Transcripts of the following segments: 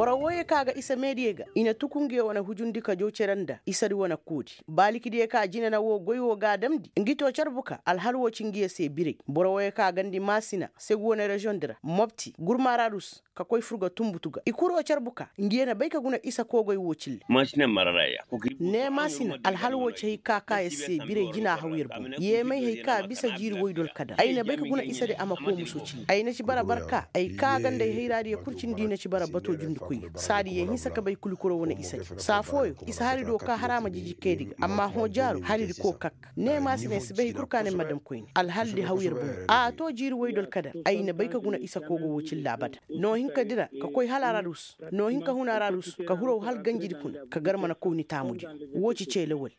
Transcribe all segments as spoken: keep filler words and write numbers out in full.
Boro wooyey ka ga isa meediyey ga i na tuku ngiyo wane hujundi ka jaw cere nda isadi wane koodi. Baalikidiyo ka jina na woo goy woo ga a damndi ngi too carbu ka alhal woo ci ngiyo se biray. Boro wooyey ka gandi maasina segu wane reziyoŋ di ra mopti gurmaararus ka koy fur ga tunbutu ga i kuroo carbu ka ngiyo na bay ka guna isa koogoy woo cille. Ne maasina alhal woo ci hay ka ka ya se biray jina haw yer boŋ. Yeemay hay ka bisa jiiri woydol kadar ay na bay ka guna isadi a ma koo muso cille ay na ci bara barka ay ka ganda ay hayraadiyo kul cindi i na ci bara batoo jundikoyni. Saadi yee hinsa ka bay kuli kuro wane isadi saa fooyo isa hari do ka har a ma jiji kaydi ga amma hõ jaaru haridi koo kak. Ne maasina ay si bay hay kul ka ne ma dam koyne alhal di haw yer boŋ. A too jiiri woydol kadar ay na bay ka guna isa koogo woo cille abada. Noo hinka dira ka koy hal ararus noo hinka hun ararus ka huraw hal ganjidi kuna ka gar mana koyni taamudiyo. Woo ci ceele wali.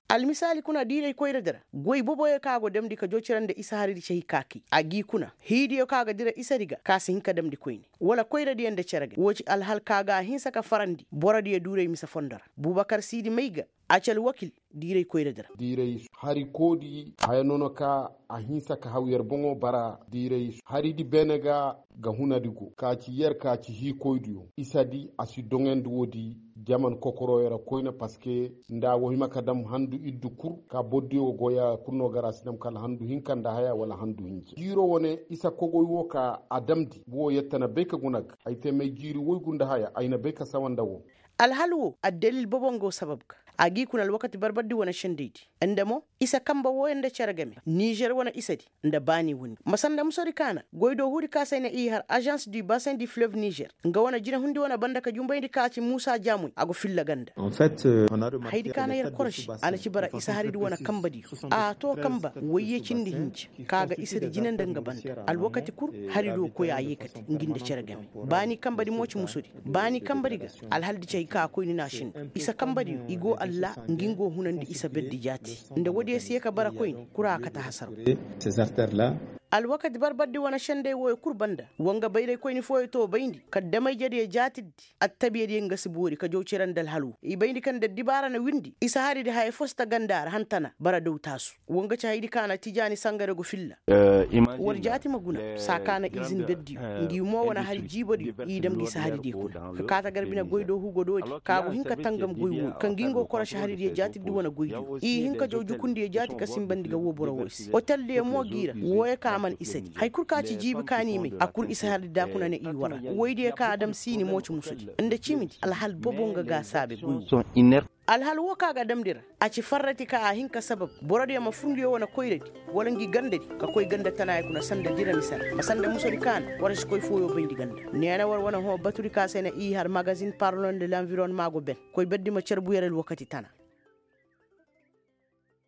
Almisaali kuna diiray koyradi ra goy boboyo ka go damndi ka joo cere nda isa haridi cahikaakay a g'i kuna hiidiyo ka ga dira isadi ga ka si hin ka damndi koyne wala koyradiyo nda cere ga woo ci alhal ka ga a hinsa ka farandi borodiyo duuray mise fondo ra. Bubakar siidi may ga a ci alwakil diiray koyradi ra. Diiray harikoodi haya nono ka a hinsa ka haw yer boŋo bara diiray haridi beene ga ga hunadi go ka ci yer ka ci hiikoydiyo isadi a si doŋandi woodi. Jaman kokoroyo ra koyne paske nda a wo hima ka dam handu iddu kul ka bordiyo ga goy a kul no gar a si dam kala handu hinka nda haya wala handu hinja jiiro wane isa kogoy wo ka a damndi wo yette na bay ka guna ga ay te may jiiri woygu nda haya ay na bay ka sawa nda wo. Alhal wo addalil bobo nga wo sabab ga a g'i kuna alwakati barbardi wane sendaydi nda mo isa kanba wooyo nda cere game nizer wane isadi nda baani windi ma sanda musodi ka na goy do huudi ka se ay na i har azans du basin du fleuve nizer nga wane jinehundi wane banda ka jumbayndi ka ci muusa jaamoy a go filla ganda. Hayadi ka na yer koroši a na ci bara isa haridi wane kanbadiyo a too kanba woyye cindi hinja ka ga isadi jine nda nga banda alwakati kul hari do koy a yeekate ngi nda cere game baani kanbadi mo ci musodi baani kanbadi ga alhaldi ci hay ka koyni na a sinda isa kanbadiyo i go alla ngi nga wo hunandi isa berdi jaati nda woodiyo si ye ka bara koyni kura a kate hasaraw. Alwakati barbardi wane senday wooyo kul banda wa nga bayraykoyni fooyo too bayndi ka damayjediyo jaatiddi attabiyadiyo nga si boori ka jaw cere nda alhal wo i bayndi kaŋ nda addibaara na windi isa haridi haya fo si ta ganda ra hantana bara daw taasu. Wa nga ci hayadi ka na tijaani sangare go filla. War jaati ma guna saa ka na izin berdiyo ngi mo wane hari jiibodiyo i dam ngi si haridiyo kuna ka kaata gar bine goy do hugo doodi ka go hin ka tangam goy wooyo ka ngi nga wo korosi haridiyo jaatiddi wane goydiyo i hin ka jaw jukundiyo jaati ka sinbandi ga woo boro wooyo se oteldiyo mo g'i ra wooyo ka man isadi hari kul ka ci jiibi ka n'i may a kul isa haridi da kuna ne i war ra woydiyo ka a dam siini mo ci musudi nda cimidi alhal bobo nga ga a saabe goy woo. Alhal woo ka ga damndi ra a ci farrati ka a hin ka sabab borodiyo ma fur ngiyo wane koyradi wala ngi gandadi ka koy ganda tanaaya kuna sanda dira mise ra ma sanda musodi ka na war si koy fooyo bayndi ganda. Neena war wane hõ batudi ka se na i har magazin parlon de lanvironnement go ben koy berdi ma carbu yer alwakati tana.